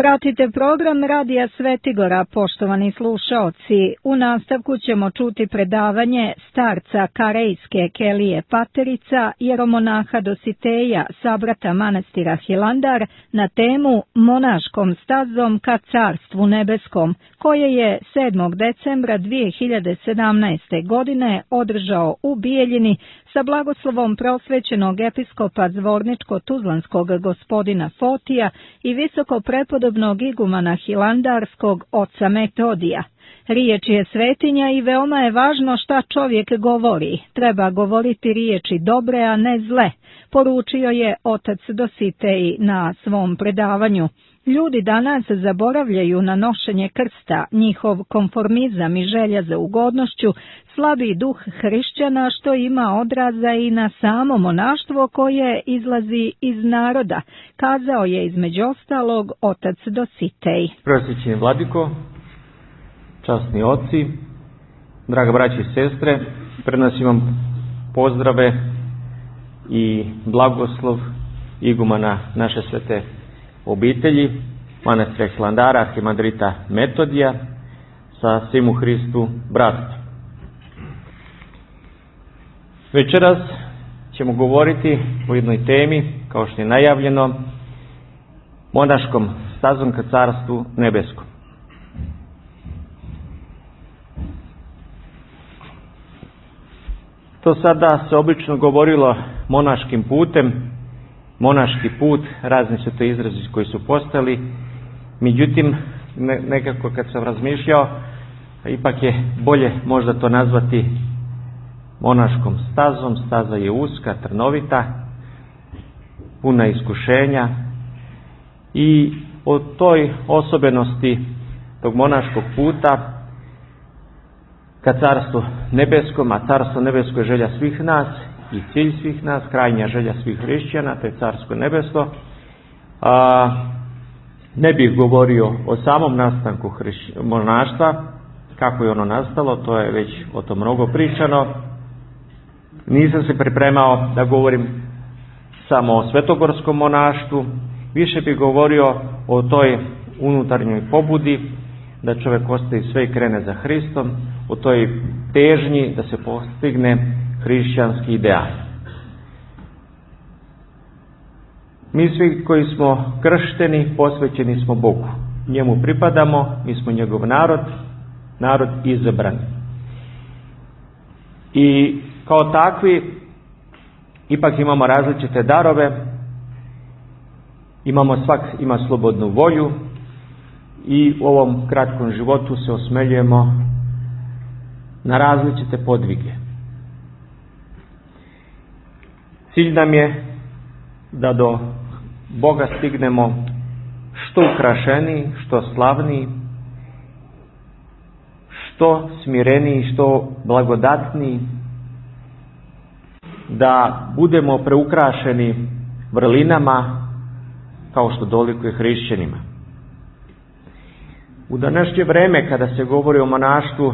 Pratite program Radija Svetigora, poštovani slušaoci. U nastavku ćemo čuti predavanje starca Karejske Kelije Paterica, jeromonaha Dositeja, sabrata manastira Hilandar, na temu Monaškom stazom ka Carstvu nebeskom, koje je 7. decembra 2017. godine održao u Bijeljini sa blagoslovom prosvećenog episkopa Zvorničko-Tuzlanskog gospodina Fotija i visoko prepodobnog igumana Hilandarskog oca Metodija. Riječ je svetinja i veoma je važno šta čovjek govori. Treba govoriti riječi dobre, a ne zle, poručio je otac Dositej na svom predavanju. Ljudi danas zaboravljaju na nošenje krsta, njihov konformizam i želja za ugodnošću, slabi duh hrišćana što ima odraza i na samo monaštvo koje izlazi iz naroda, kazao je između ostalog otac Dositej. Prosvećeni vladiko, časni oci, draga braća i sestre, prenosim vam pozdrave i blagoslov igumana naše svete obitelji, manastira Hilandara, arhimandrita Metodija, sa svim u Hristu bratstvom. Večeras ćemo govoriti o jednoj temi, kao što je najavljeno, monaškom stazom ka Carstvu nebeskom. To sada se obično govorilo monaškim putem, monaški put, razni su to izrazi koji su postali, međutim, nekako kad sam razmišljao, ipak je bolje možda to nazvati monaškom stazom. Staza je uska, trnovita, puna iskušenja i o toj osobenosti tog monaškog puta ka Carstvu nebeskom, a Carstvo nebesko je želja svih nas i cilj svih nas, krajnja želja svih hrišćana, to je Carsko nebesko. Ne bih govorio o samom nastanku monaštva, kako je ono nastalo, to je već o tom mnogo pričano. Nisam se pripremao da govorim samo o svetogorskom monaštvu, više bih govorio o toj unutarnjoj pobudi, da čovjek ostavi sve i krene za Hristom, o toj težnji da se postigne hrišćanski ideal. Mi svi koji smo kršteni, posvećeni smo Bogu. Njemu pripadamo, mi smo njegov narod, narod izabran. I kao takvi, ipak imamo različite darove, svak ima slobodnu volju i u ovom kratkom životu se osmeljujemo na različite podvige. Cilj nam je da do Boga stignemo što ukrašeniji, što slavniji, što smireniji, što blagodatniji, da budemo preukrašeni vrlinama kao što dolikuje hrišćanima. U današnje vreme kada se govori o monaštvu,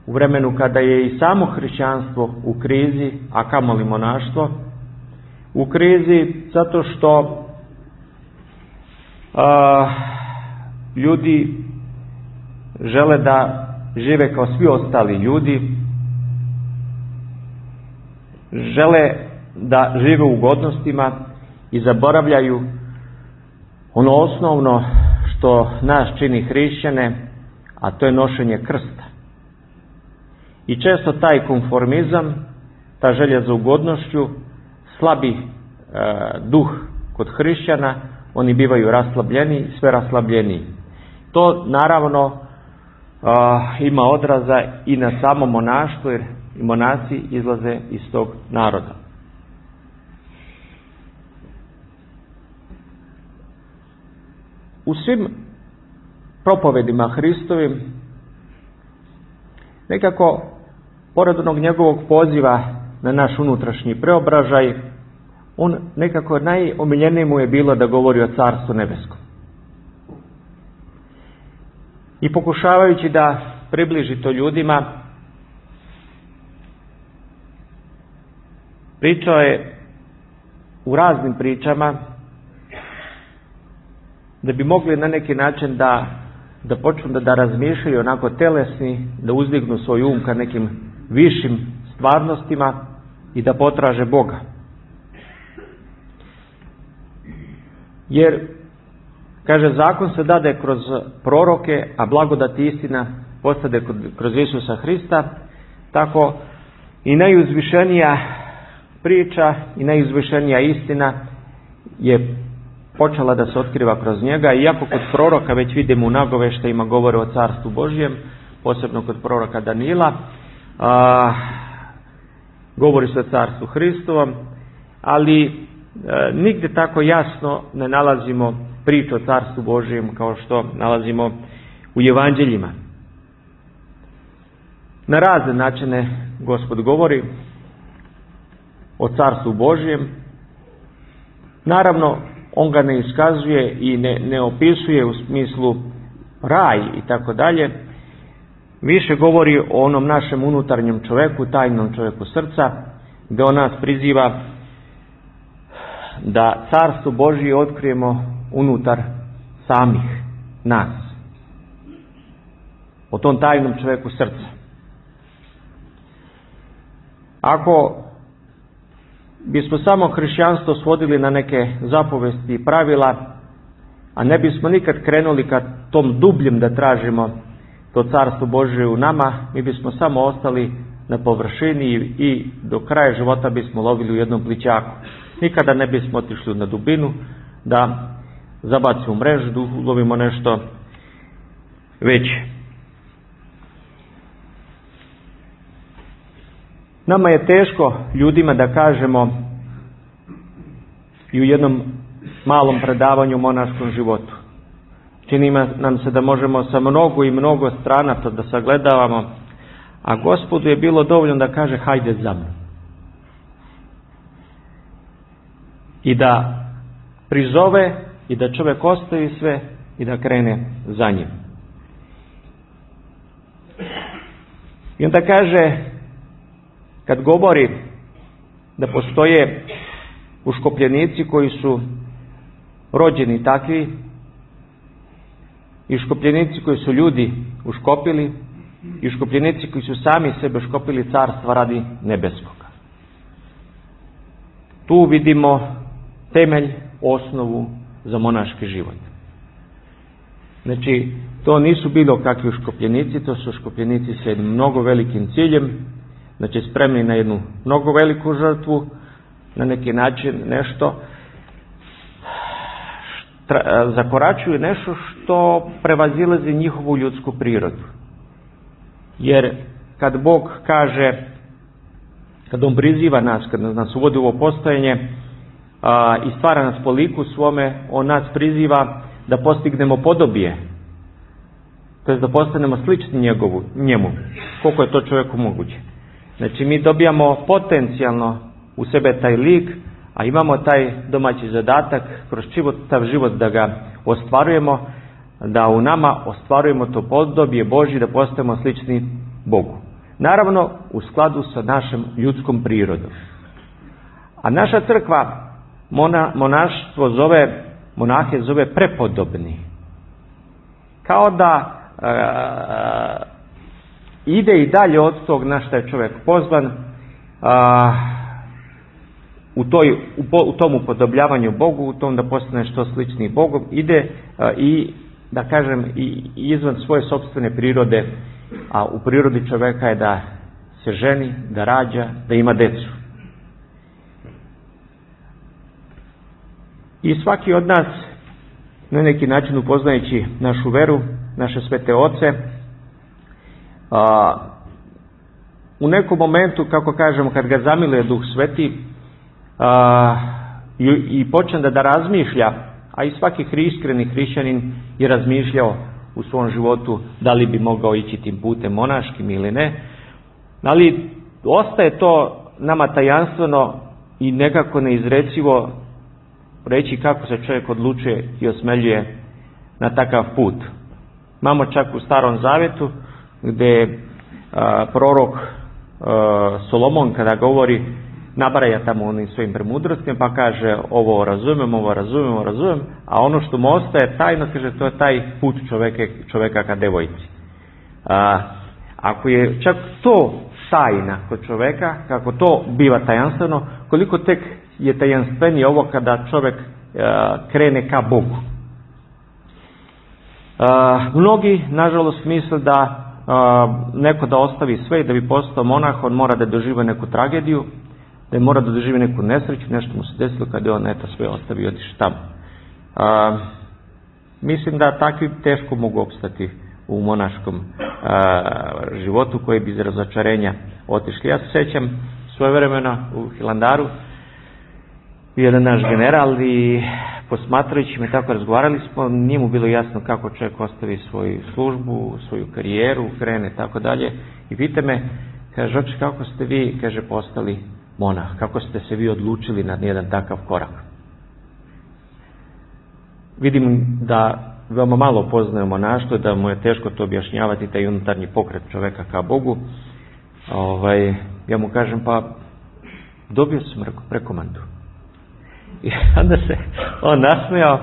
u vremenu kada je i samo hrišćanstvo u krizi, a kamoli monaštvo, u krizi zato što ljudi žele da žive kao svi ostali ljudi, žele da žive u ugodnostima i zaboravljaju ono osnovno što nas čini hrišćane, a to je nošenje krsta. I često taj konformizam, ta želja za ugodnošću, slabi duh kod hrišćana, oni bivaju raslabljeni, sve raslabljeniji. To naravno ima odraza i na samo monaštvo, jer i monasi izlaze iz tog naroda. U svim propovedima Hristovim, nekako, pored onog njegovog poziva na naš unutrašnji preobražaj, on nekako najomiljenije mu je bilo da govori o Carstvu nebeskom. I pokušavajući da približi to ljudima, pričao je u raznim pričama da bi mogli na neki način da počnu da razmišljaju onako telesni, da uzdignu svoj um ka nekim višim stvarnostima i da potraže Boga. Jer, kaže, zakon se dade kroz proroke, a blagodat i istina postade kroz Isusa Hrista, tako i najuzvišenija priča i najuzvišenija istina je počela da se otkriva kroz njega, iako kod proroka već vidimo u nagoveštajima govore o Carstvu Božjem, posebno kod proroka Danila, govori se o Carstvu Hristovom, ali nigdje tako jasno ne nalazimo priču o Carstvu Božjem kao što nalazimo u evanđeljima. Na razne načine Gospod govori o Carstvu Božjem. Naravno, on ga ne iskazuje i ne opisuje u smislu raj i tako dalje. Više govori o onom našem unutarnjem čovjeku, tajnom čovjeku srca, gdje on nas priziva da Carstvo Božje otkrijemo unutar samih nas. O tom tajnom čovjeku srca. Ako bismo samo hrišćanstvo svodili na neke zapovesti i pravila, a ne bismo nikad krenuli ka tom dubljem da tražimo to Carstvo Božje u nama, mi bismo samo ostali na površini i do kraja života bismo lovili u jednom plićaku. Nikada ne bismo otišli na dubinu da zabacimo mrežu, da ulovimo nešto veće. Nama je teško ljudima da kažemo i u jednom malom predavanju o monaškom životu. Čini nam se da možemo sa mnogo i mnogo strana to da sagledavamo, a Gospodu je bilo dovoljno da kaže hajde za mnom. I da prizove i da čovjek ostavi sve i da krene za njim. I onda kaže, kad govori da postoje uškopljenici koji su rođeni takvi i škopljenici koji su ljudi uškopili i škopljenici koji su sami sebe škopili carstva radi nebeskoga. Tu vidimo temelj, osnovu za monaški život. Znači, to nisu bilo kakvi škopljenici, to su škopljenici sa jednim mnogo velikim ciljem, znači spremni na jednu mnogo veliku žrtvu, na neki način nešto zakoračuju nešto što prevazilazi njihovu ljudsku prirodu. Jer kad Bog kaže, kad on priziva nas, kad nas uvodi u ovo postojanje i stvara nas po liku svome, on nas priziva da postignemo podobije, to jest da postanemo slični njemu, koliko je to čovjeku moguće. Znači mi dobijamo potencijalno u sebe taj lik, a imamo taj domaći zadatak kroz čitav život da ga ostvarujemo, da u nama ostvarujemo to podobije Božje, da postajemo slični Bogu. Naravno, u skladu sa našom ljudskom prirodom. A naša crkva monaštvo monahe zove prepodobni. Kao da ide i dalje od tog na što je čovjek pozvan, u tom upodobljavanju Bogu, u tom da postane što slični Bogom, ide i da kažem i izvan svoje sopstvene prirode, a u prirodi čovjeka je da se ženi, da rađa, da ima decu. I svaki od nas, na neki način upoznajući našu veru, naše svete oce, u nekom momentu, kako kažemo, kad ga zamiluje Duh Sveti i počne da razmišlja, a i svaki iskreni hrišćanin je razmišljao u svom životu da li bi mogao ići tim putem monaškim ili ne, ali ostaje to nama tajanstveno i nekako neizrecivo reći kako se čovjek odlučuje i osmeljuje na takav put. Imamo čak u Starom Zavjetu gdje prorok Solomon kada govori nabraja tamo onim svojim premudrostima, pa kaže ovo razumem, a ono što mu ostaje tajno, kaže, to je taj put čoveka ka devojci. Ako je čak to tajna kod čoveka, kako to biva tajanstveno, koliko tek je tajanstvenije ovo kada čovjek krene ka Bogu. Mnogi, nažalost, misle da neko da ostavi sve i da bi postao monah, on mora da doživa neku tragediju, da mora da doživi neku nesreću, nešto mu se desilo kada je on sve ostavi i otišao tamo. Mislim da takvi teško mogu opstati u monaškom životu koji bi iz razočarenja otišli. Ja se sjećam svojevremeno u Hilandaru, jedan naš general i posmatrajući me tako razgovarali smo, nije mu bilo jasno kako čovjek ostavi svoju službu, svoju karijeru, krene tako dalje i pita me, kaže, oče, kako ste vi, kaže, postali monah, kako ste se vi odlučili na jedan takav korak. Vidim da veoma malo poznaje monaštvo, da mu je teško to objašnjavati, taj unutarnji pokret čoveka ka Bogu. Ja mu kažem, pa dobio sam prekomandu. I onda se on nasmejao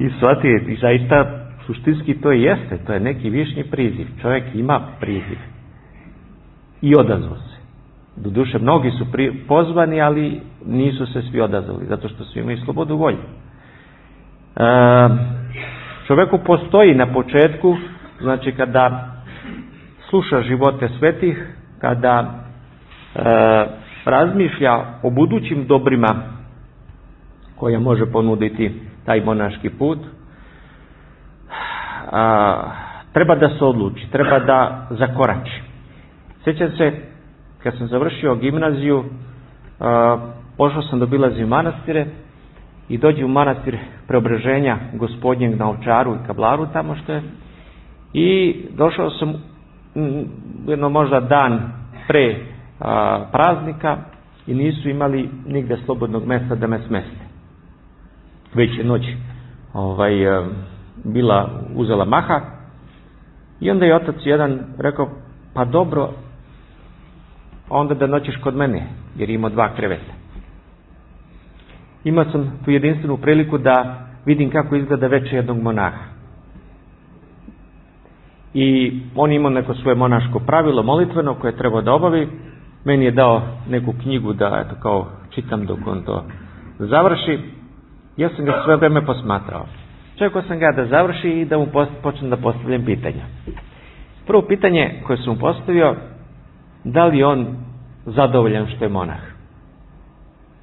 i shvatio, i zaista suštinski to jeste, to je neki višnji priziv. Čovjek ima priziv i odazvao se. Doduše, mnogi su pozvani, ali nisu se svi odazvali, zato što svi imaju slobodu volje. Čovjeku postoji na početku, znači kada sluša živote svetih, kada razmišlja o budućim dobrima koja može ponuditi taj monaški put, treba da se odluči, treba da zakorači. Sjećam se, kad sam završio gimnaziju, pošao sam da obilazim manastire i dođe u manastir Preobraženja Gospodnjeg na Ovčaru i Kablaru tamo što je, i došao sam jedno možda dan pre praznika i nisu imali nigde slobodnog mjesta da me smeste. Već je noć bila uzela maha i onda je otac jedan rekao, pa dobro, onda da noćeš kod mene, jer ima 2 kreveta. Imao sam tu jedinstvenu priliku da vidim kako izgleda veče jednog monaha. I on imao neko svoje monaško pravilo molitveno koje treba da obavi. Meni je dao neku knjigu da eto kao čitam dok on to završi. Ja sam ga sve vreme posmatrao. Čekao sam ga da završi i da mu počnem da postavljam pitanja. Prvo pitanje koje sam mu postavio, da li on zadovoljan što je monah?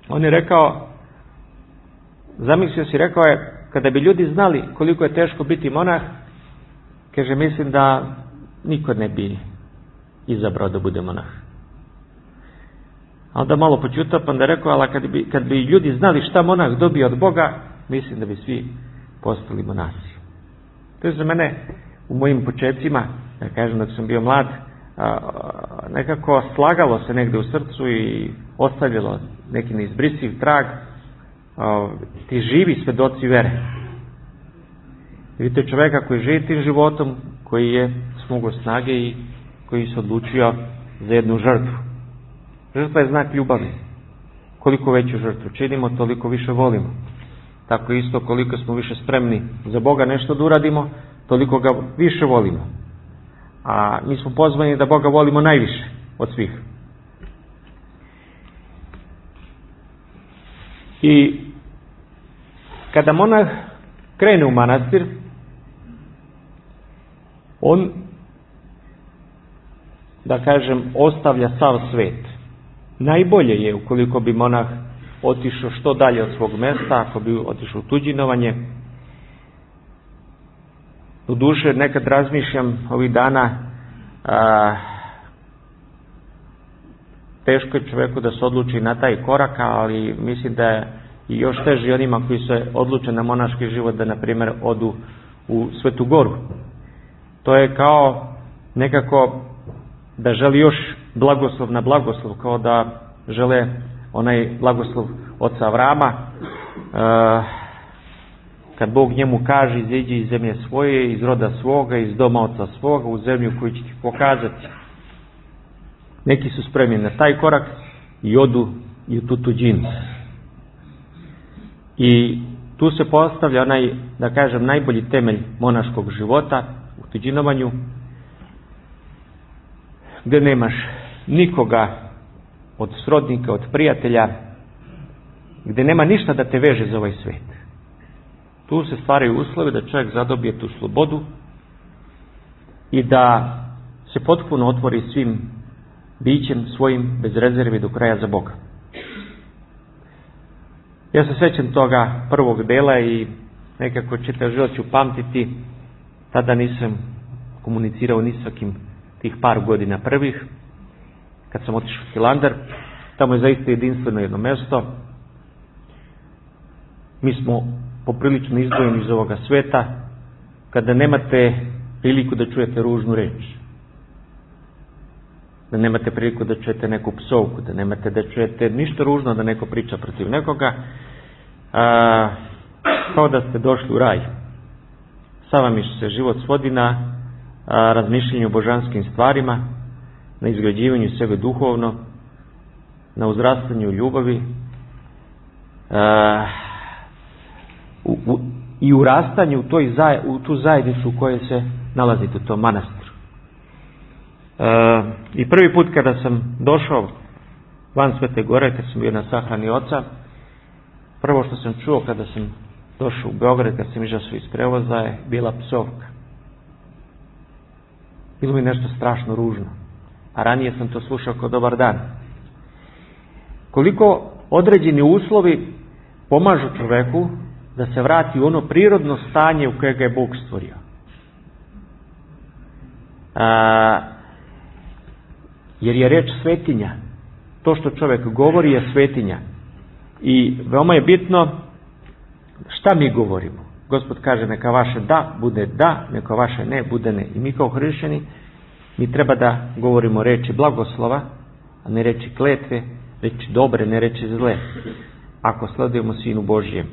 On je rekao, zamislio si, rekao je, kada bi ljudi znali koliko je teško biti monah, kaže, mislim da niko ne bi izabrao da bude monah. A onda malo počutao, pa onda rekao, ali kad bi ljudi znali šta monah dobije od Boga, mislim da bi svi postali monasi. To je za mene u mojim početcima, da kažem dok sam bio mlad, nekako slagalo se negde u srcu i ostavljalo neki neizbrisiv trag, ti živi svedoci vere. Vidite čoveka koji živi tim životom, koji je smogao snage i koji se odlučio za jednu žrtvu. Žrtva je znak ljubavi. Koliko veću žrtvu činimo, toliko više volimo. Tako isto, koliko smo više spremni za Boga nešto da uradimo, toliko ga više volimo. A mi smo pozvani da Boga volimo najviše od svih. I kada monah krene u manastir, on, da kažem, ostavlja sav svet. Najbolje je ukoliko bi monah otišao što dalje od svog mjesta, ako bi otišao u tuđinovanje. U duše nekad razmišljam ovih dana, teško je čovjeku da se odluči na taj korak, ali mislim da je i još teži onima koji se odluče na monaški život da, na primjer, odu u Svetu Goru. To je kao nekako da želi još blagoslov na blagoslov, kao da žele onaj blagoslov oca Avrama, kad Bog njemu kaže, iziđi iz zemlje svoje, iz roda svoga, iz doma oca svoga, u zemlju koju će ti pokazati. Neki su spremni na taj korak i odu i u tu tuđinu. I tu se postavlja onaj, da kažem, najbolji temelj monaškog života u tuđinovanju, gdje nemaš nikoga od srodnika, od prijatelja, gdje nema ništa da te veže za ovaj svijet. Tu se stvaraju uslovi da čovjek zadobije tu slobodu i da se potpuno otvori svim bićem svojim bez rezervi do kraja za Boga. Ja se sjećam toga prvog dela i nekako čitav život ću pamtiti. Tada nisam komunicirao ni s kim tih par godina prvih. Kad sam otišao u Hilandar, tamo je zaista jedinstveno jedno mjesto. Mi smo poprilično izdvojeni iz ovoga sveta, kada nemate priliku da čujete ružnu reč, da nemate priliku da čujete neku psovku, da nemate da čujete ništa ružno da neko priča protiv nekoga, kao da ste došli u raj. Sada mi se život svodi na razmišljanju o božanskim stvarima, na izgrađivanju sebe duhovno, na uzrastanju ljubavi i urastanju u tu zajednicu u kojoj se nalazite, u tom manastiru. I prvi put kada sam došao van Svete Gore, kad sam bio na sahrani oca, prvo što sam čuo kada sam došao u Beograd, kad sam izašao iz prevoza, je bila psovka. Bilo mi nešto strašno ružno. A ranije sam to slušao kao dobar dan. Koliko određeni uslovi pomažu čoveku da se vrati u ono prirodno stanje u koje ga je Bog stvorio. Jer je reč svetinja. To što čovjek govori je svetinja. I veoma je bitno šta mi govorimo. Gospod kaže neka vaše da bude da, neka vaše ne bude ne. I mi kao hrišćani, mi treba da govorimo reči blagoslova, a ne reči kletve, reči dobre, ne reči zle. Ako sledujemo Sinu Božjem.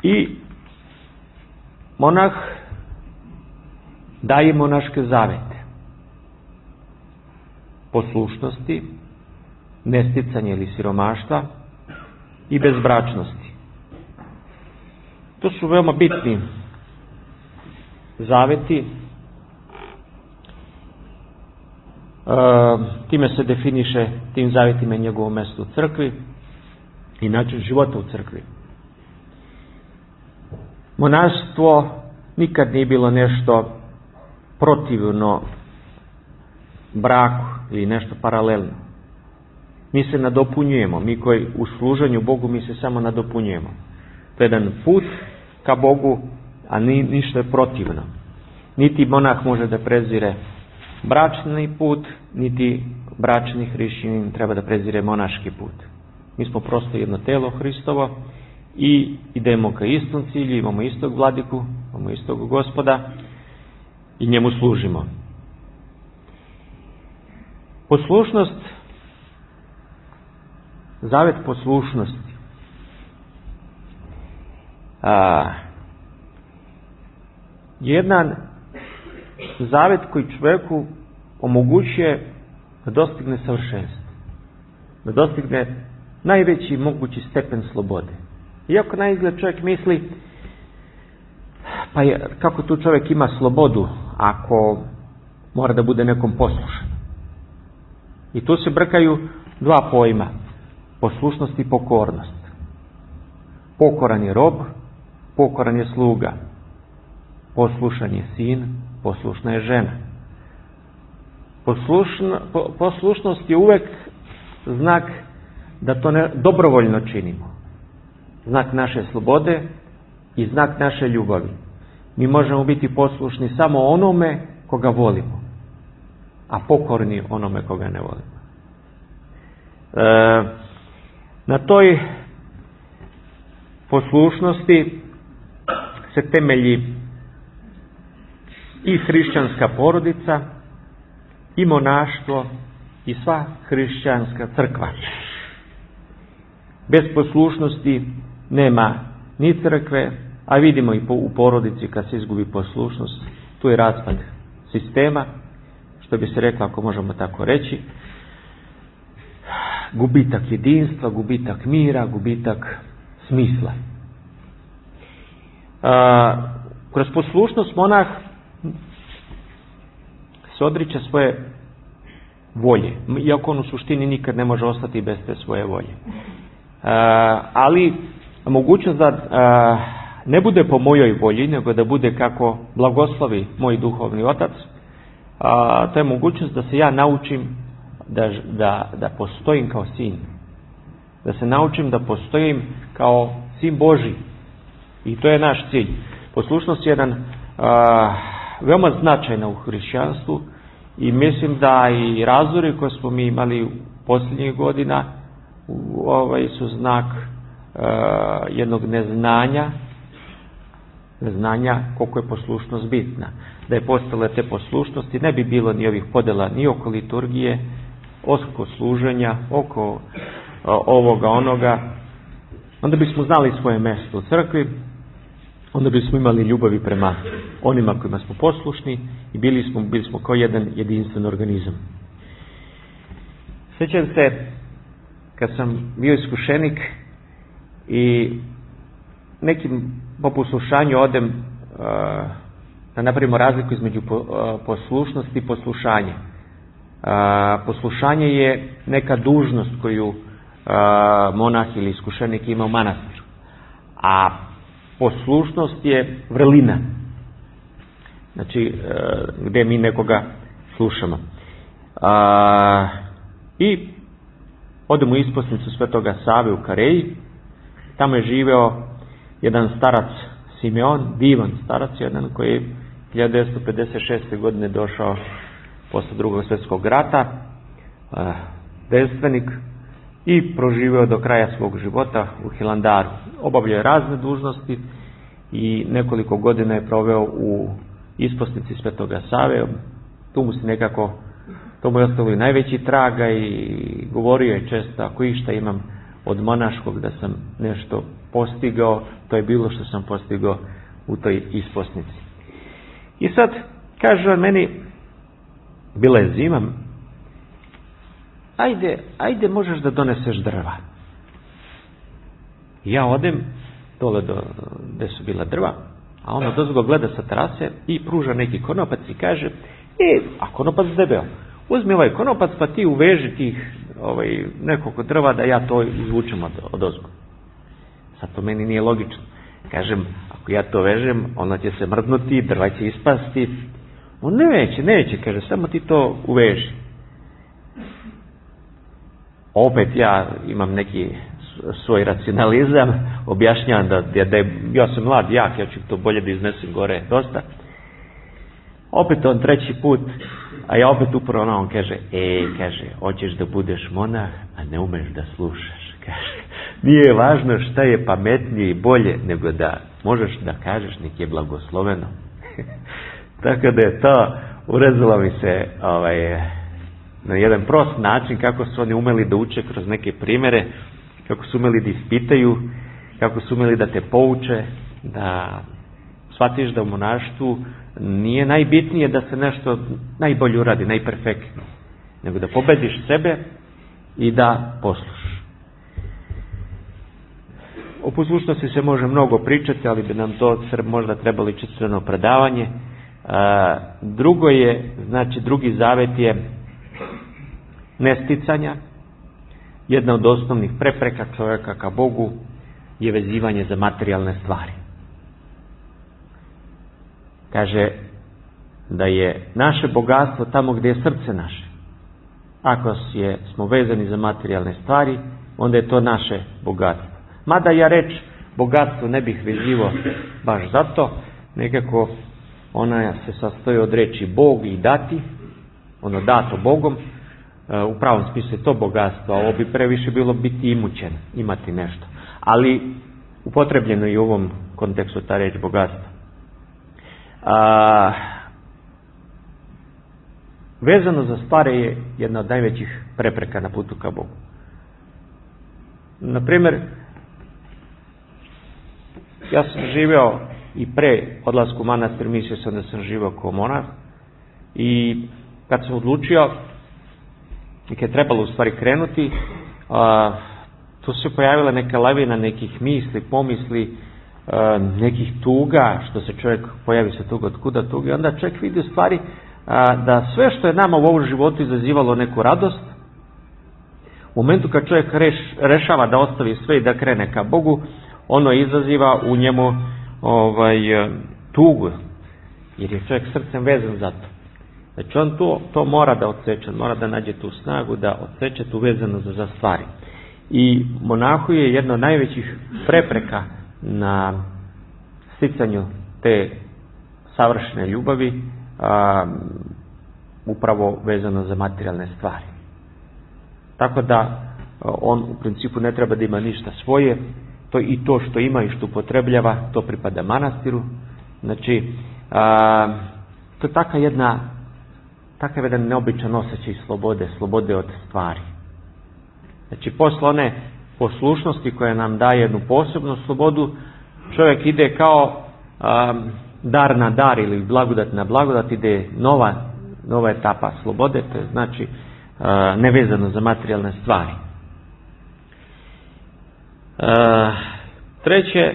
I monah daje monaške zavete. Poslušnosti, nesticanje ili siromaštva i bezbračnosti. To su veoma bitni zaveti. Time se definiše tim zavetima njegovo mjesto u crkvi i način života u crkvi. Monaštvo nikad nije bilo nešto protivno braku ili nešto paralelno. Mi se nadopunjujemo, mi koji u služenju Bogu mi se samo nadopunjujemo. To je jedan put ka Bogu, a ništa je protivno. Niti monah može da prezire bračni put, niti bračni hrišćanin treba da prezire monaški put. Mi smo prosto jedno telo Hristovo i idemo ka istom cilju, imamo istog vladiku, imamo istog Gospoda i njemu služimo. Poslušnost, zavet poslušnosti. Jedan zavet koji čovjeku omogućuje da dostigne savršenstvo, da dostigne najveći mogući stepen slobode. Iako na izgled čovjek misli, pa kako tu čovjek ima slobodu ako mora da bude nekom poslušan. I tu se brkaju dva pojma, poslušnost i pokornost. Pokoran je rob, pokoran je sluga. Poslušan je sin, poslušna je žena. Poslušnost je uvek znak da to dobrovoljno činimo. Znak naše slobode i znak naše ljubavi. Mi možemo biti poslušni samo onome koga volimo, a pokorni onome koga ne volimo. Na toj poslušnosti se temelji i hrišćanska porodica, i monaštvo, i sva hrišćanska crkva. Bez poslušnosti nema ni crkve, a vidimo i u porodici kad se izgubi poslušnost, tu je raspad sistema, što bi se reklo, ako možemo tako reći, gubitak jedinstva, gubitak mira, gubitak smisla. Kroz poslušnost monah se odriče svoje volje, iako on u suštini nikad ne može ostati bez te svoje volje. Ali mogućnost da ne bude po mojoj volji, nego da bude kako blagoslovi moj duhovni otac, to je mogućnost da se ja naučim da postojim kao sin. Da se naučim da postojim kao sin Božji. I to je naš cilj. Poslušnost je jedan veoma značajna u hrišćanstvu i mislim da i razori koje smo mi imali u posljednjih godina su znak jednog neznanja koliko je poslušnost bitna. Da je postale te poslušnosti, ne bi bilo ni ovih podela ni oko liturgije, oko služenja, oko ovoga, onoga. Onda bismo znali svoje mjesto u crkvi, onda bismo imali ljubavi prema onima kojima smo poslušni i bili smo kao jedan jedinstven organizam. Sjećam se kad sam bio iskušenik i nekim po poslušanju odem da napravimo razliku između poslušnosti i poslušanja. Poslušanje je neka dužnost koju monah ili iskušenik ima u manastiru. A poslušnost je vrlina. Znači, gdje mi nekoga slušamo. I odemo u isposnicu Svetoga Save u Kareji. Tamo je živeo jedan starac Simeon, divan starac jedan koji je 1956. godine došao posle Drugog svjetskog rata, devstvenik, i proživio do kraja svog života u Hilandaru. Obavljao je razne dužnosti i nekoliko godina je proveo u isposnici Svetoga Save. Tu mu se nekako, to mu je ostalo i najveći traga i govorio je često, ako išta imam od monaškog da sam nešto postigao, to je bilo što sam postigao u toj isposnici. I sad kaže on meni, bila je zima, ajde možeš da doneseš drva. Ja odem dole gde su bila drva, a ono dozgo gleda sa terase i pruža neki konopac i kaže, a konopac debeo, uzmi ovaj konopac pa ti uveži tih nekoliko drva da ja to izvučem od ozgo. Sad to meni nije logično. Kažem, ako ja to vežem, ona će se mrdnuti, drva će ispasti. On neće, kaže, samo ti to uveži. Opet ja imam neki svoj racionalizam, objašnjavam da ja sam mlad, jak, ja ću to bolje da iznesem gore dosta. Opet on treći put, a ja opet upravo on kaže, hoćeš da budeš monah, a ne umeš da slušaš. Kaže, nije važno šta je pametnije i bolje, nego da možeš da kažeš nek je blagosloveno. Tako da je to, urezalo mi se na jedan prost način kako su oni umeli da uče kroz neke primere, kako su umeli da ispitaju, kako su umeli da te pouče, da shvatiš da u monaštvu nije najbitnije da se nešto najbolje uradi, najperfektnije, nego da pobediš sebe i da poslušaš. O poslušnosti se može mnogo pričati, ali bi nam to možda trebalo čistveno predavanje. Drugo je, znači drugi zavet je nesticanja. Jedna od osnovnih prepreka čovjeka ka Bogu je vezivanje za materijalne stvari. Kaže da je naše bogatstvo tamo gdje je srce naše. Ako smo vezani za materijalne stvari, onda je to naše bogatstvo. Mada ja reč bogatstvo ne bih vezivao baš zato, nekako ona se sastoji od reči Bog i dati, ono dato Bogom, u pravom smislu je to bogatstvo, a ovo bi previše bilo biti imućen, imati nešto. Ali upotrebljeno je u ovom kontekstu ta reč bogatstvo. Vezano za stvari je jedna od najvećih prepreka na putu ka Bogu. Naprimjer, ja sam živeo i pre odlasku u manastir, mislio sam da sam živeo kao monah i kad sam odlučio i kad je trebalo u stvari krenuti, tu se pojavila neka lavina nekih misli, pomisli, nekih tuga, što se čovjek pojavi se tuga, otkuda tuga, i onda čovjek vidi u stvari da sve što je nama u ovom životu izazivalo neku radost, u momentu kad čovjek rešava da ostavi sve i da krene ka Bogu, ono izaziva u njemu tugu, jer je čovjek srcem vezan za to. Znači on to mora da odseče, mora da nađe tu snagu, da odseče tu vezanost za stvari. I monahu je jedna od najvećih prepreka na sticanju te savršene ljubavi, upravo vezano za materijalne stvari. Tako da on u principu ne treba da ima ništa svoje, to što ima i što upotrebljava, to pripada manastiru. Znači, to je takav jedan neobičan osjećaj slobode od stvari. Znači, posle one poslušnosti koja nam daje jednu posebnu slobodu, čovjek ide kao dar na dar ili blagodat na blagodat, ide nova etapa slobode, to je znači nevezano za materijalne stvari. Treće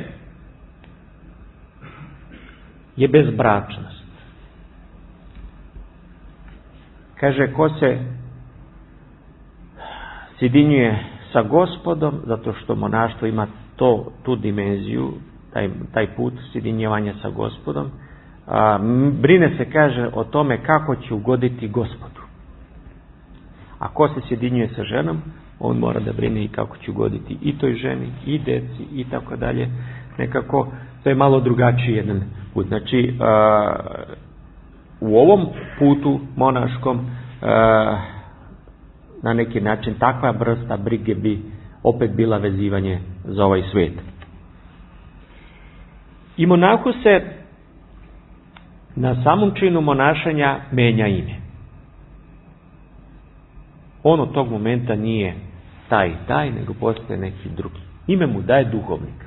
je bezbračnost. Kaže, ko se sjedinjuje sa Gospodom, zato što monaštvo ima tu dimenziju, taj put sjedinjevanja sa Gospodom, brine se, kaže, o tome kako će ugoditi Gospodu. A ko se sjedinjuje sa ženom, on mora da brine i kako će ugoditi i toj ženi, i deci, i tako dalje. Nekako, to je malo drugačiji jedan put. Znači, u ovom putu monaškom, na neki način, takva vrsta brige bi opet bila vezivanje za ovaj svijet. I monahu se na samom činu monašanja menja ime. On od tog momenta nije taj, nego postaje neki drugi. Ime mu daje duhovnik.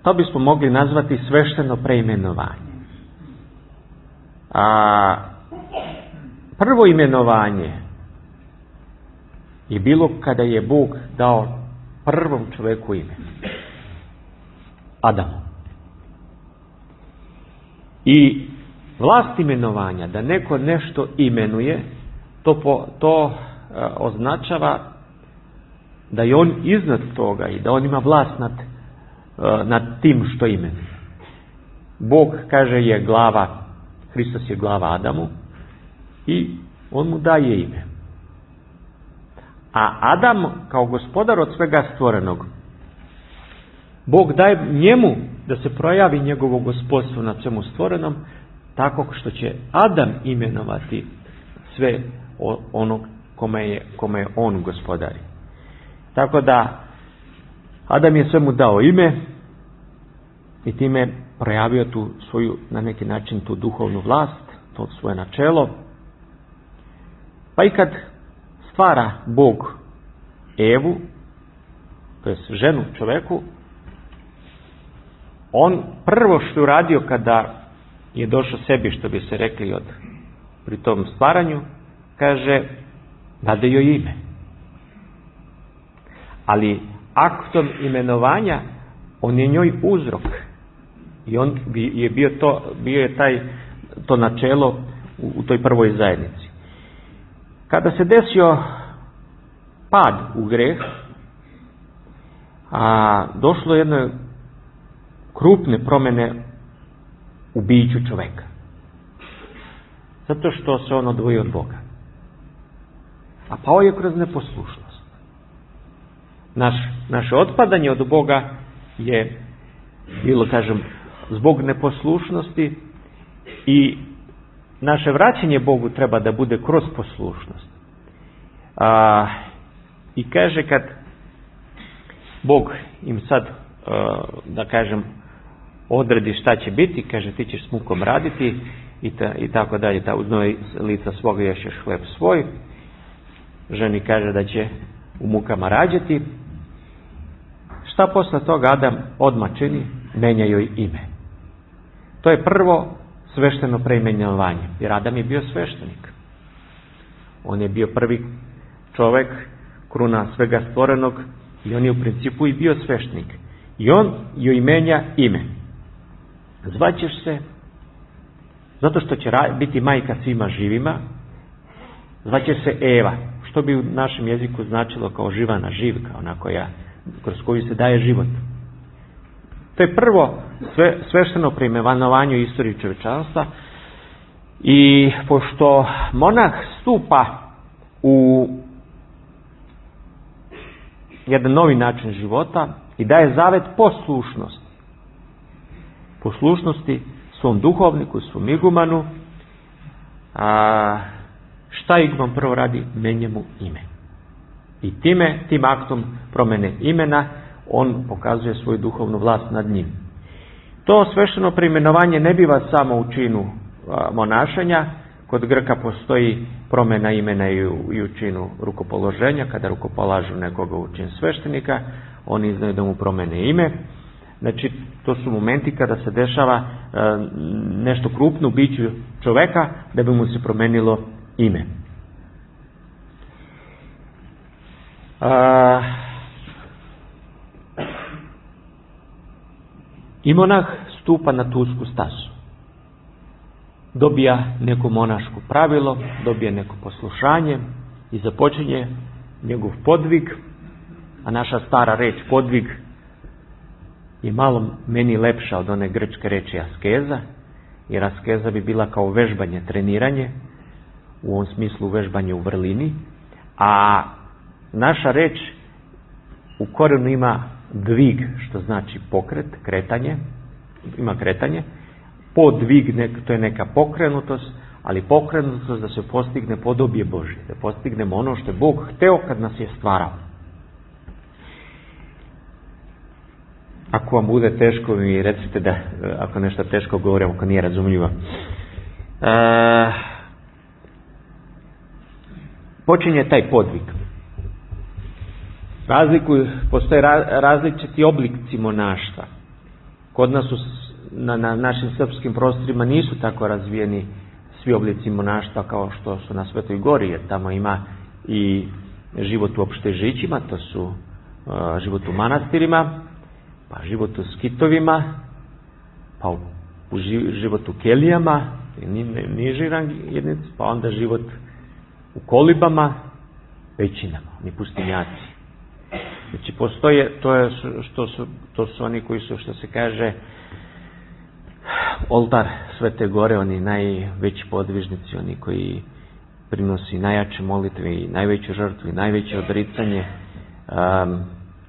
To bismo mogli nazvati svešteno preimenovanje. Prvo imenovanje je bilo kada je Bog dao prvom čovjeku ime. Adamu. I vlast imenovanja, da neko nešto imenuje, to označava da je on iznad toga i da on ima vlast nad tim što imenuje. Bog, kaže, je glava, Hristos je glava Adamu i on mu daje ime. A Adam, kao gospodar od svega stvorenog, Bog daje njemu da se projavi njegovo gospodstvo nad svemu stvorenom, tako što će Adam imenovati sve onog kome je on gospodari. Tako da Adam je svemu dao ime i time projavio tu svoju, na neki način, tu duhovnu vlast, to svoje načelo. Pa i kad stvara Bog Evu, to je ženu čoveku, on prvo što je uradio kada je došao sebi, što bi se rekli pri tom stvaranju, kaže, dade joj ime. Ali aktom imenovanja on je njoj uzrok. I on je bio je to načelo u toj prvoj zajednici. Kada se desio pad u greh, došlo je jedne krupne promjene u biću čoveka. Zato što se on odvojio od Boga. A pao je kroz neposlušnost. Naše otpadanje od Boga je bilo, kažem, zbog neposlušnosti, i naše vraćanje Bogu treba da bude kroz poslušnost. I kaže, kad Bog im sad, da kažem, odredi šta će biti, kaže, ti ćeš s mukom raditi i tako dalje, uz noj lica svoga ješćeš hleb svoj. Ženi kaže da će u mukama rađati. Šta posle toga Adam odmah čini? Menja joj ime. To je prvo svešteno preimenovanje. Jer Adam je bio sveštenik. On je bio prvi čovjek, kruna svega stvorenog, i on je u principu i bio sveštenik. I on joj menja ime. Zvaćeš se, zato što će biti majka svima živima, zvaće se Eva, što bi u našem jeziku značilo kao živana živka, ona kroz koju se daje život. To je prvo svešteno preimenovanje u istoriji čovječanstva, i pošto monah stupa u jedan novi način života i daje zavet poslušnosti svom duhovniku, svom igumanu, šta iguman prvo radi? Menja mu ime. I tim aktom promene imena on pokazuje svoju duhovnu vlast nad njim. To svešteno preimenovanje ne biva samo u činu monašenja. Kod Grka postoji promjena imena i u činu rukopoloženja. Kada rukopolažu nekoga u čin sveštenika, oni znaju da mu promene ime. Znači, to su momenti kada se dešava nešto krupno u biću čoveka da bi mu se promenilo ime. I monah stupa na tu usku stazu. Dobija neko monaško pravilo, dobija neko poslušanje i započinje njegov podvig, a naša stara reč podvig je malo meni lepša od one grčke reči askeza, jer askeza bi bila kao vežbanje, treniranje, u ovom smislu vežbanje u vrlini, a naša reč u korijenu ima dvig, što znači pokret, kretanje, ima kretanje. Podvig, to je neka pokrenutost, ali pokrenutost da se postigne podobje Božje, da postignemo ono što je Bog hteo kad nas je stvarao. Ako vam bude teško, mi recite da ako nešto teško govorim, ako nije razumljivo. Počinje taj podvig. Postoje različiti oblici monaštva. Kod nas na našim srpskim prostorima nisu tako razvijeni svi oblici monaštva kao što su na Svetoj Gori, jer tamo ima i život u opštežićima, to su život u manastirima, pa život u skitovima, pa u život u kelijama, niži rang jedinici, pa onda život u kolibama, pećinama, ni pustinjaci. Znači postoje, to su oni koji su, što se kaže, oltar Svete Gore, oni najveći podvižnici, oni koji prinosi najjače molitve i najveću žrtvu i najveće odricanje,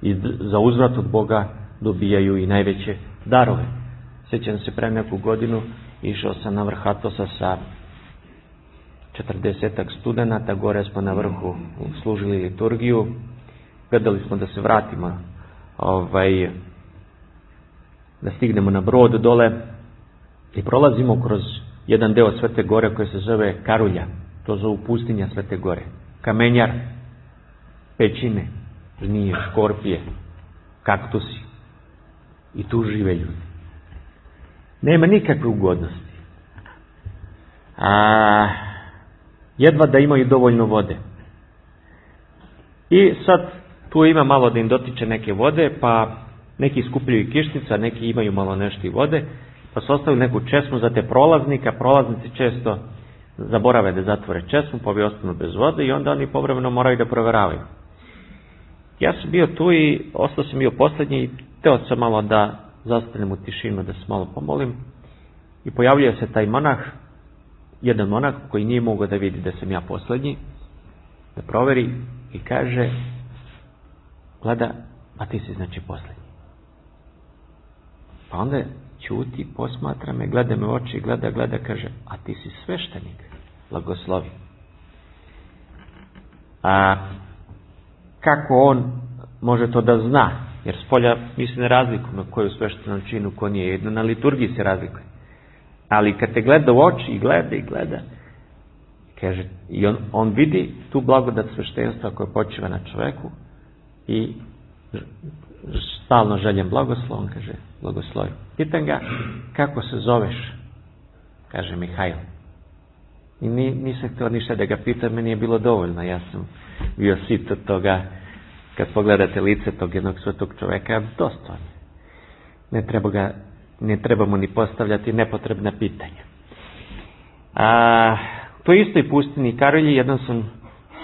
i za uzvrat od Boga dobijaju i najveće darove. Sjećam se, pre neku godinu išao sam na vrh Atosa sa 40-ak studenata, gore smo na vrhu služili liturgiju, gledali smo da se vratimo, da stignemo na brod dole i prolazimo kroz jedan deo Svete Gore koji se zove Karulja, to zovu pustinja Svete Gore, kamenjar, pećine, zmije, škorpije, kaktusi, i tu žive ljudi. Nema nikakve ugodnosti. Jedva da imaju dovoljno vode. I sad tu ima malo da im dotiče neke vode, pa neki skupljaju kišnica, neki imaju malo nešto i vode, pa su ostavili neku česmu za te prolaznika. Prolaznici često zaborave da zatvore česmu, pa bi ostanu bez vode i onda oni povremeno moraju da provjeravaju. Ja sam bio tu i ostao sam bio posljednji i teo sam malo da zastanem u tišinu, da se malo pomolim, i pojavljuje se taj monah, jedan monah koji nije mogao da vidi da sam ja posljednji, da proveri i kaže: gleda, a ti si znači posljednji. Pa onda ćuti, posmatra me, gleda me u oči, gleda, kaže: a ti si sveštenik, blagoslovi. Kako on može to da zna? Jer spolja mi se ne razlikujemo ko je u sveštenom činu, ko nije. Jedno na liturgiji se razlikuje. Ali kad te gleda u oči i gleda, kaže, i on vidi tu blagodat sveštenstva koja počiva na čoveku i stalno željem blagoslov, on kaže: blagoslovi. Pitam ga: kako se zoveš? kaže Mihajl. I nisam htio ništa da ga pitam, meni je bilo dovoljno. Ja sam bio sit od toga, kad pogledate lice tog jednog svetog čoveka, dosta. Ne treba mu ni postavljati nepotrebna pitanja. U toj istoj pustini Karolji jednom sam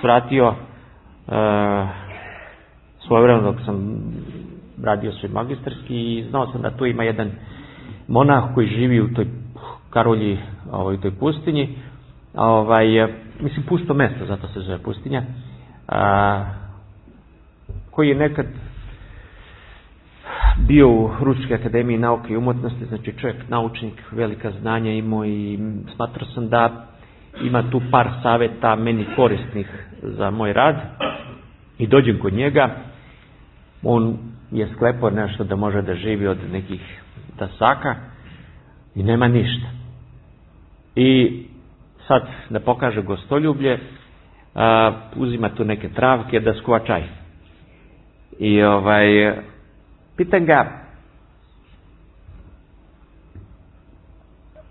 svratio svojevremeno dok sam radio svoj magistarski i znao sam da tu ima jedan monah koji živi u toj Karolji, u toj pustinji. Mislim, pusto mesto, zato se zove pustinja, koji je nekad bio u Ruskoj akademiji nauke i umjetnosti, znači čovjek, naučnik, velika znanja imao i smatrao sam da ima tu par savjeta meni korisnih za moj rad i dođem kod njega. On je sklepao nešto da može da živi od nekih dasaka i nema ništa. I sad da pokaže gostoljublje, uzima tu neke travke da skuva čaj. I pitam ga,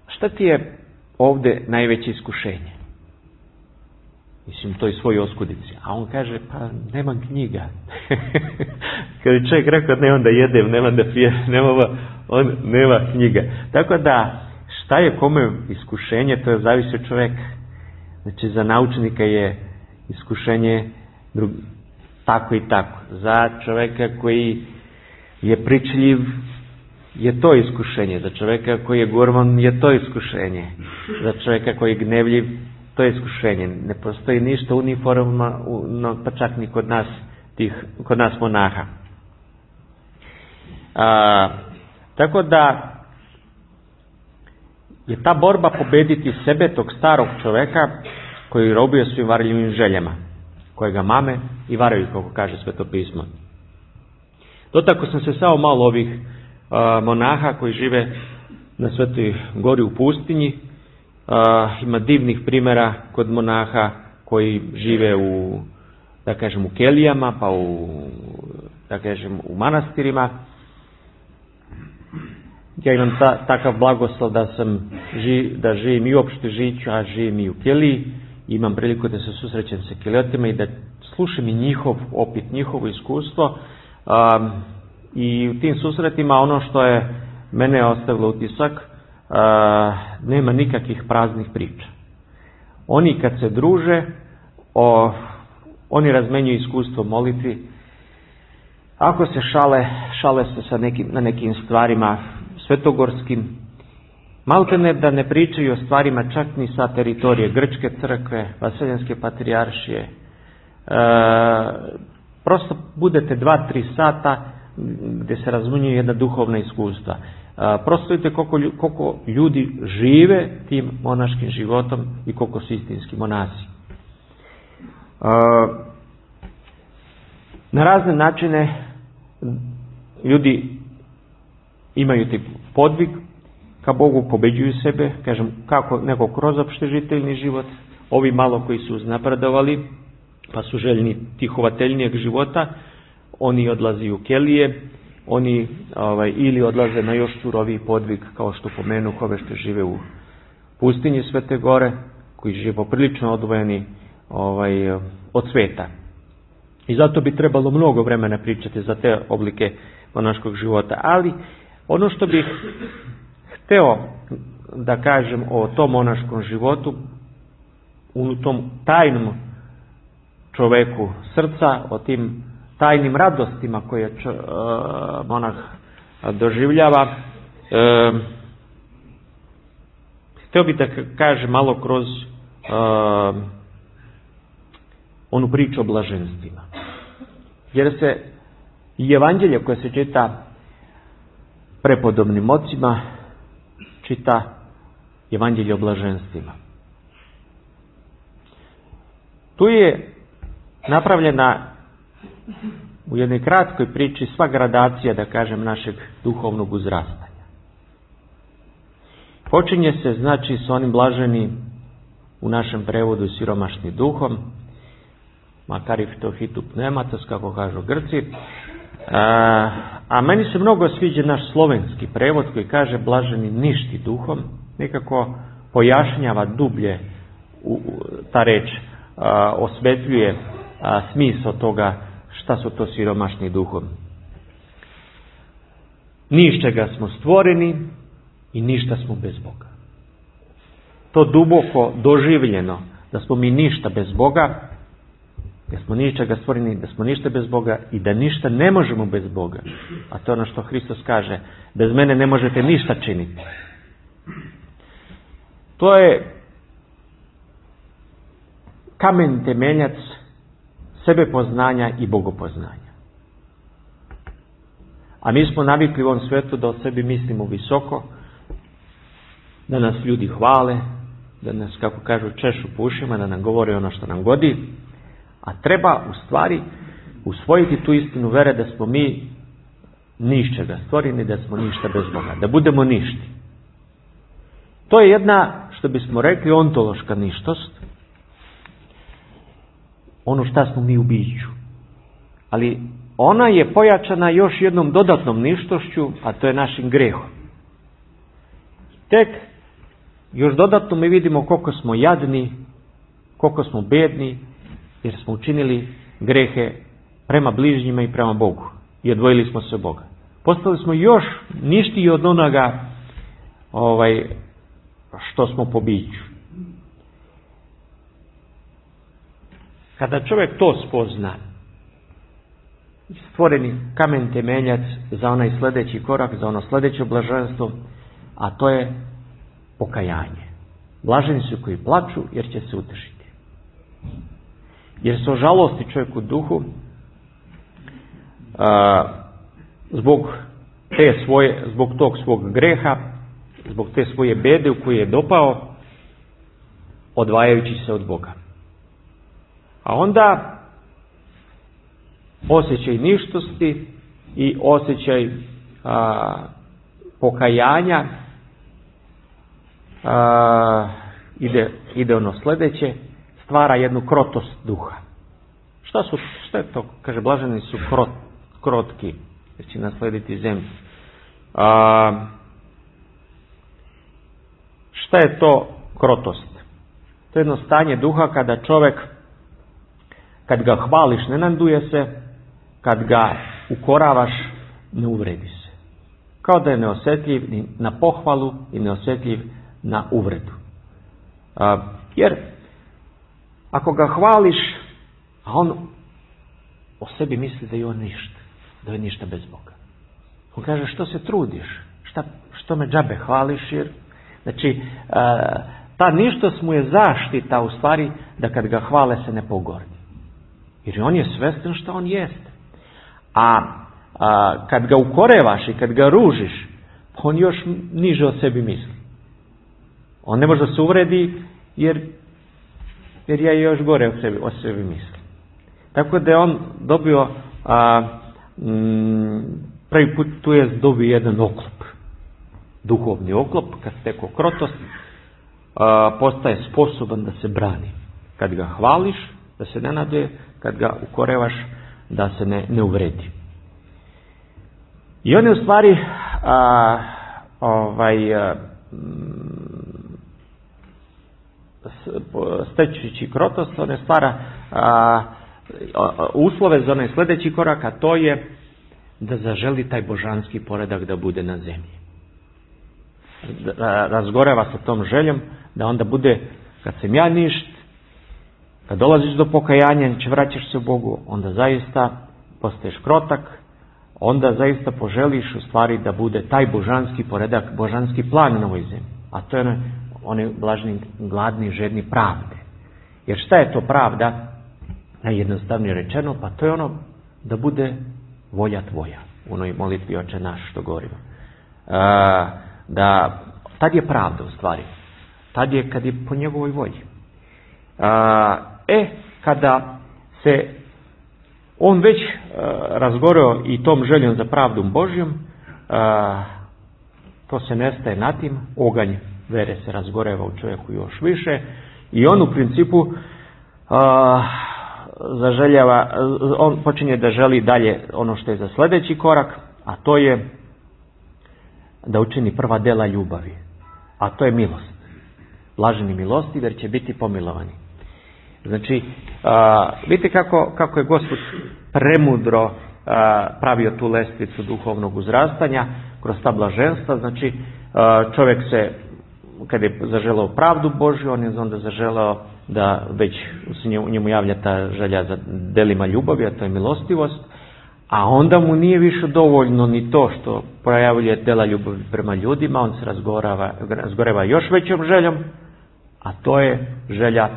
šta ti je ovdje najveće iskušenje? Mislim, to je svoj oskudici. A on kaže, pa nemam knjiga. Kad je čovjek rekao, ne onda jedem, nema da pije, on nema knjiga. Tako da, šta je kome iskušenje, to je zavisi od čovjeka. Znači, za naučnika je iskušenje tako i tako. Za čovjeka koji je pričljiv, je to iskušenje. Za čovjeka koji je gorman, je to iskušenje. Za čovjeka koji je gnevljiv, to je iskušenje. Ne postoji ništa uniformno, pa čak ni kod nas monaha. Tako da je ta borba pobediti sebe, tog starog čovjeka koji robio svim varljivim željama, kojega mame i varaju, kako kaže Sveto pismo. Dotako sam se samo malo ovih monaha koji žive na Svetoj gori u pustinji. Ima divnih primjera kod monaha koji žive u, da kažem, u kelijama, pa u manastirima. Ja imam takav blagoslov da živim i u opšte žiću, a živim i u keliji. Imam priliku da se susrećem sa keliotima i da slušam i njihovo iskustvo. I u tim susretima ono što je mene ostavilo utisak, nema nikakvih praznih priča. Oni kad se druže, oni razmenjuju iskustvo molitvi. Ako se šale se na nekim stvarima svetogorskim, maltene da ne pričaju o stvarima čak ni sa teritorije Grčke crkve, Vaseljenske patrijaršije. Prosto budete 2-3 sata gdje se razmenjuju jedna duhovna iskustva. Prosto vidite koliko ljudi žive tim monaškim životom i koliko su istinski monasi. Na razne načine ljudi imaju tip podvig ka Bogu, pobeđuju sebe, kažem, kako neko kroz opštežiteljni život, ovi malo koji su uznapredovali, pa su željni tihovateljnijeg života, oni odlazi u kelije, oni ili odlaze na još suroviji podvig, kao što pomenu ove što žive u pustinji Svete Gore, koji žive poprilično odvojeni od sveta. I zato bi trebalo mnogo vremena pričati za te oblike monaškog života. Ali ono što bih hteo da kažem o tom monaškom životu, u tom tajnom čoveku srca, o tim tajnim radostima koje monah doživljava, hteo bih da kažem malo kroz onu priču o blaženstvima. Jer se i evanđelje koje se čita prepodobnim ocima, čita evanđelje o blaženstvima. Tu je napravljena u jednoj kratkoj priči sva gradacija, da kažem, našeg duhovnog uzrastanja. Počinje se, znači, s onim blaženi, u našem prevodu, siromašni duhom, makar i to hitu pneumatos, kako kažu Grci. A meni se mnogo sviđa naš slovenski prevod koji kaže blaženi ništi duhom. Nekako pojašnjava dublje ta reč, osvetljuje smisao toga šta su to siromašni duhom. Ni iz čega smo stvoreni i ništa smo bez Boga. To duboko doživljeno da smo mi ništa bez Boga, da smo ni iz čega stvoreni, da smo ništa bez Boga i da ništa ne možemo bez Boga. A to je ono što Hristos kaže, bez mene ne možete ništa činiti. To je kamen temeljac sebepoznanja i bogopoznanja. A mi smo navikli u ovom svijetu da o sebi mislimo visoko, da nas ljudi hvale, da nas, kako kažu, češu po ušima, da nam govore ono što nam godi, a treba u stvari usvojiti tu istinu vere da smo mi ničega stvoreni, da smo ništa bez Boga, da budemo ništi. To je jedna, što bismo rekli, ontološka ništost, ono šta smo mi u biću. Ali ona je pojačana još jednom dodatnom ništošću, a to je našim grehom. Tek još dodatno mi vidimo koliko smo jadni, koliko smo bedni, jer smo učinili grehe prema bližnjima i prema Bogu. I odvojili smo se od Boga. Postali smo još ništiji od onoga što smo po biću. Kada čovjek to spozna, stvoreni kamen temeljac za onaj sljedeći korak, za ono sljedeće blaženstvo, a to je pokajanje. Blaženi su koji plaču jer će se utešiti. Jer se ožalosti čovjek u duhu zbog tog svog greha, zbog te svoje bede u koju je dopao, odvajajući se od Boga. A onda osjećaj ništosti i osjećaj pokajanja ide ono sljedeće, stvara jednu krotost duha. Šta je to? Kaže, blaženi su krotki, jer će naslediti zemlju. Šta je to krotost? To je jedno stanje duha kada čovjek, kad ga hvališ, ne naduje se, kad ga ukoravaš, ne uvredi se. Kao da je neosjetljiv ni na pohvalu i neosjetljiv na uvredu. Jer ako ga hvališ, a on o sebi misli da je on ništa, da je ništa bez Boga. On kaže, što se trudiš? Što me džabe hvališ? Jer, znači, ta ništost mu je zaštita u stvari da kad ga hvale se ne pogordi. Jer on je svjestan što on jeste. A kad ga ukorevaš i kad ga ružiš, on još niže o sebi misli. On ne može da se uvredi jer ja još gore o sebi mislim. Tako da je on dobio prvi put tu je dobio jedan oklop. Duhovni oklop, kad stekao krotost, postaje sposoban da se brani. Kad ga hvališ, da se ne naduje, kad ga ukorevaš, da se ne uvredi. I on je u stvari stečući krotost, on je stvara uslove za onaj sljedeći korak, a to je da zaželi taj božanski poredak da bude na zemlji. Razgoreva se tom željom da onda bude, kad sam ja ništ, kad dolaziš do pokajanja, vraćaš se u Bogu, onda zaista postaješ krotak, onda zaista poželiš u stvari da bude taj božanski poredak, božanski plan na ovoj zemlji. A to je oni blažni, gladni, žedni pravde. Jer šta je to pravda? Najjednostavnije rečeno, pa to je ono da bude volja tvoja. U onoj molitvi Oče naš što govorimo. Tad je pravda u stvari. Tad je kad je po njegovoj volji. Kada se on već razgoreo i tom željom za pravdom Božjom, to se nestaje na tim, oganj vere se razgoreva u čovjeku još više i on u principu on počinje da želi dalje ono što je za sljedeći korak, a to je da učini prva dela ljubavi, a to je milost. Blaženi milostivi jer će biti pomilovani. Znači, vidite kako je Gospod premudro pravio tu lestvicu duhovnog uzrastanja kroz ta blaženstva. Znači, čovjek se, kad je zaželeo pravdu Božju, on je onda zaželeo da već u njemu javlja ta želja za delima ljubavi, a to je milostivost, a onda mu nije više dovoljno ni to što projavljuje dela ljubavi prema ljudima, on se razgoreva još većom željom, a to je želja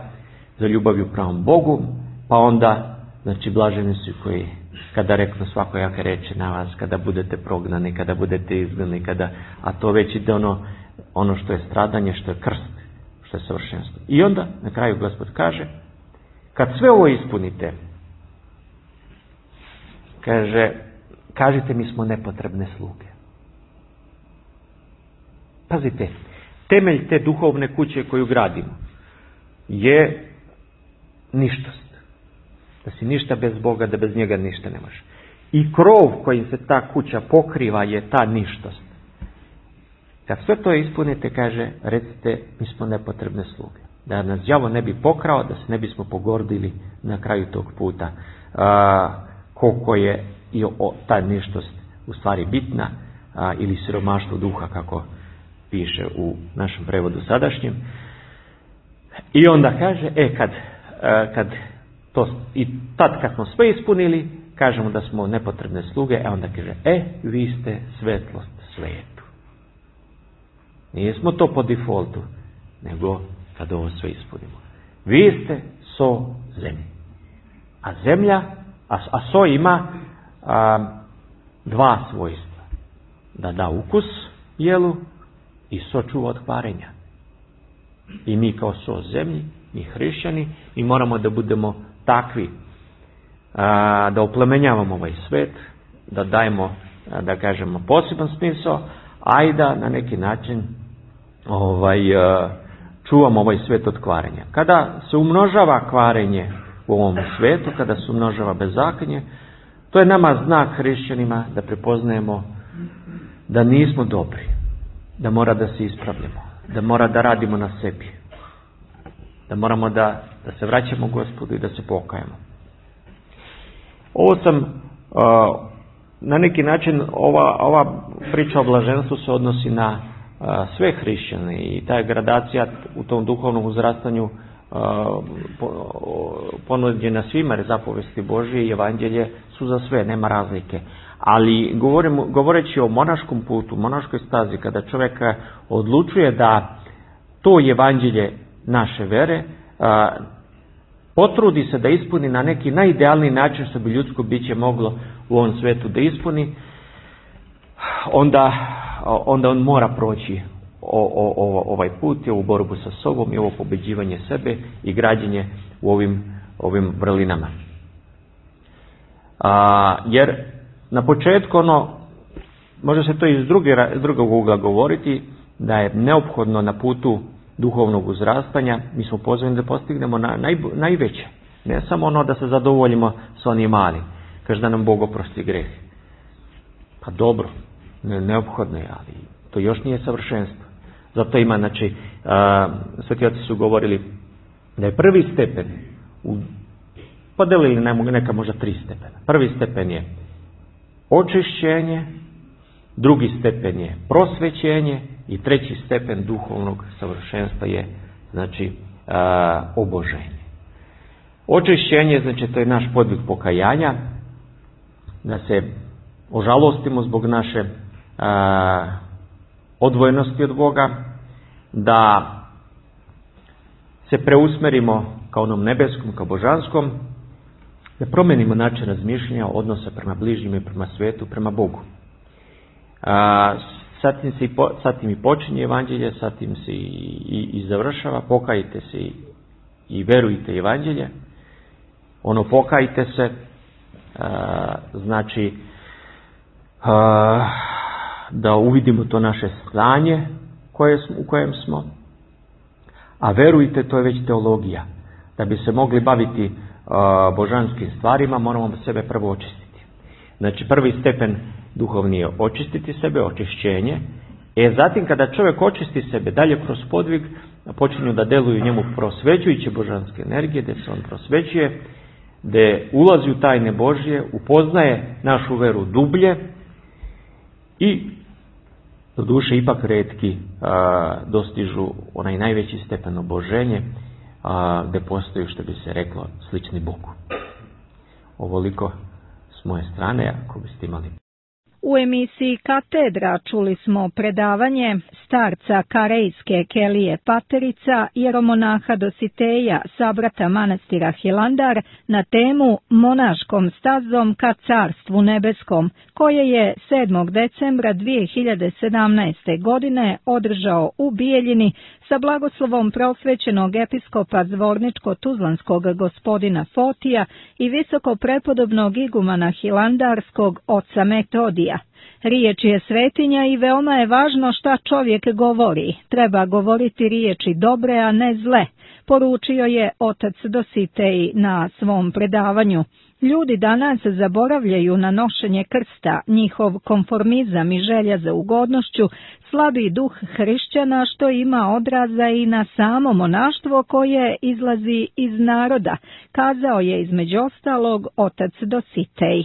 za ljubavju prema Bogu, pa onda, znači, blaženi su koji kada reknu svakojake reči na vas, kada budete prognani, kada budete izgnani, a to već ide ono što je stradanje, što je krst, što je savršenstvo. I onda na kraju Gospod kaže, kad sve ovo ispunite, kažite mi smo nepotrebne sluge. Pazite, temelj te duhovne kuće koju gradimo je ništost. Da si ništa bez Boga, da bez njega ništa ne može. I krov kojim se ta kuća pokriva je ta ništost. Kad sve to ispunite, kaže, recite, mi smo nepotrebne sluge. Da nas đavo ne bi pokrao, da se ne bismo pogordili na kraju tog puta. Koliko je i ta ništost u stvari bitna, ili siromaštvo duha, kako piše u našem prevodu sadašnjem. I onda kaže, kad smo sve ispunili, kažemo da smo nepotrebne sluge, onda kaže, vi ste svetlost svijetu. Nismo to po defaultu, nego kad ovo sve ispunimo. Vi ste so zemlje. A zemlja, a so ima dva svojstva. Da da ukus jelu i so čuva od kvarenja. I mi kao so zemlji, mi hrišćani, mi moramo da budemo takvi, da oplemenjavamo ovaj svet, da dajemo, da kažemo, poseban smisao, a i da na neki način čuvamo ovaj svet od kvarenja. Kada se umnožava kvarenje u ovom svetu, kada se umnožava bezakonje, to je nama znak hrišćanima da prepoznajemo da nismo dobri, da mora da se ispravljamo, da mora da radimo na sebi, da moramo da se vraćamo Gospodu i da se pokajemo. Ovo sam, na neki način, ova priča o blaženstvu se odnosi na sve hrišćane i ta gradacija u tom duhovnom uzrastanju ponuđena svima, jer zapovesti Božije i evanđelje su za sve, nema razlike. Ali govoreći o monaškom putu, monaškoj stazi, kada čovjek odlučuje da to evanđelje naše vere potrudi se da ispuni na neki najidealniji način što bi ljudsko biće moglo u ovom svetu da ispuni, onda on mora proći ovaj put i ovu borbu sa sobom i ovo pobeđivanje sebe i građenje u ovim vrlinama. Jer na početku može se to iz drugog ugla govoriti, da je neophodno na putu duhovnog uzrastanja, mi smo pozvani da postignemo najveće. Ne samo da se zadovoljimo sa onim malim. Kaže da nam Bog oprosti greh. Pa dobro, neophodno je, ali to još nije savršenstvo. Zato ima, znači, sveti oci su govorili da je prvi stepen, podelili neka možda 3 stepena. Prvi stepen je očišćenje, drugi stepen je prosvećenje i treći stepen duhovnog savršenstva je, znači, oboženje. Očišćenje, znači, to je naš podvig pokajanja, da se ožalostimo zbog naše odvojenosti od Boga, da se preusmerimo ka onom nebeskom, ka božanskom, da promenimo način razmišljanja, odnosa prema bližnjima i prema svetu, prema Bogu. Zatim i počinje evanđelje, zatim se i završava, pokajte se i verujte evanđelje. Pokajte se, znači da uvidimo to naše stanje u kojem smo, a verujte, to je već teologija. Da bi se mogli baviti božanskim stvarima, moramo sebe prvo očistiti. Znači, prvi stepen duhovni je očistiti sebe, očišćenje. Zatim kada čovjek očisti sebe, dalje kroz podvig, počinju da deluju njemu prosvećujuće božanske energije, gde se on prosvećuje, gde ulazi u tajne Božje, upoznaje našu veru dublje i do duše ipak retki dostižu onaj najveći stepen oboženje, gde postoji, što bi se reklo, slični Bogu. Ovoliko s moje strane, ako biste imali. U emisiji Katedra čuli smo predavanje starca karejske kelije Paterica, jeromonaha Dositeja, sabrata manastira Hilandar, na temu Monaškom stazom ka Carstvu nebeskom, koje je 7. decembra 2017. godine održao u Bijeljini sa blagoslovom prosvećenog episkopa Zvorničko-Tuzlanskog gospodina Fotija i visoko prepodobnog igumana Hilandarskog oca Metodija. Riječ je svetinja i veoma je važno šta čovjek govori. Treba govoriti riječi dobre, a ne zle, poručio je otac Dositej na svom predavanju. Ljudi danas zaboravljaju na nošenje krsta, njihov konformizam i želja za ugodnošću, slabi duh hrišćana što ima odraza i na samo monaštvo koje izlazi iz naroda, kazao je između ostalog otac Dositej.